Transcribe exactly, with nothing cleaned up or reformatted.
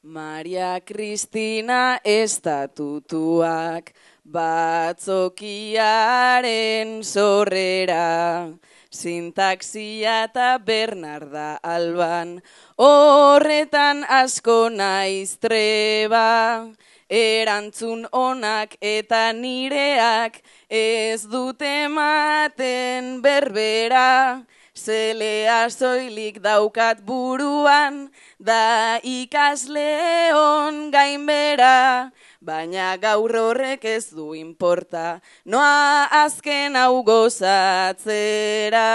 Maria Kristina estatutuak batzokiaren sorrera, sintaxia eta Bernarda Alban, horretan asko naiz treba, erantzun onak eta nireak ez dute ematen berbera, zelea soilik daukat buruan, da ikasleon gainbera, baina gaur horrek ez du inporta, noa azken hau gozatzera.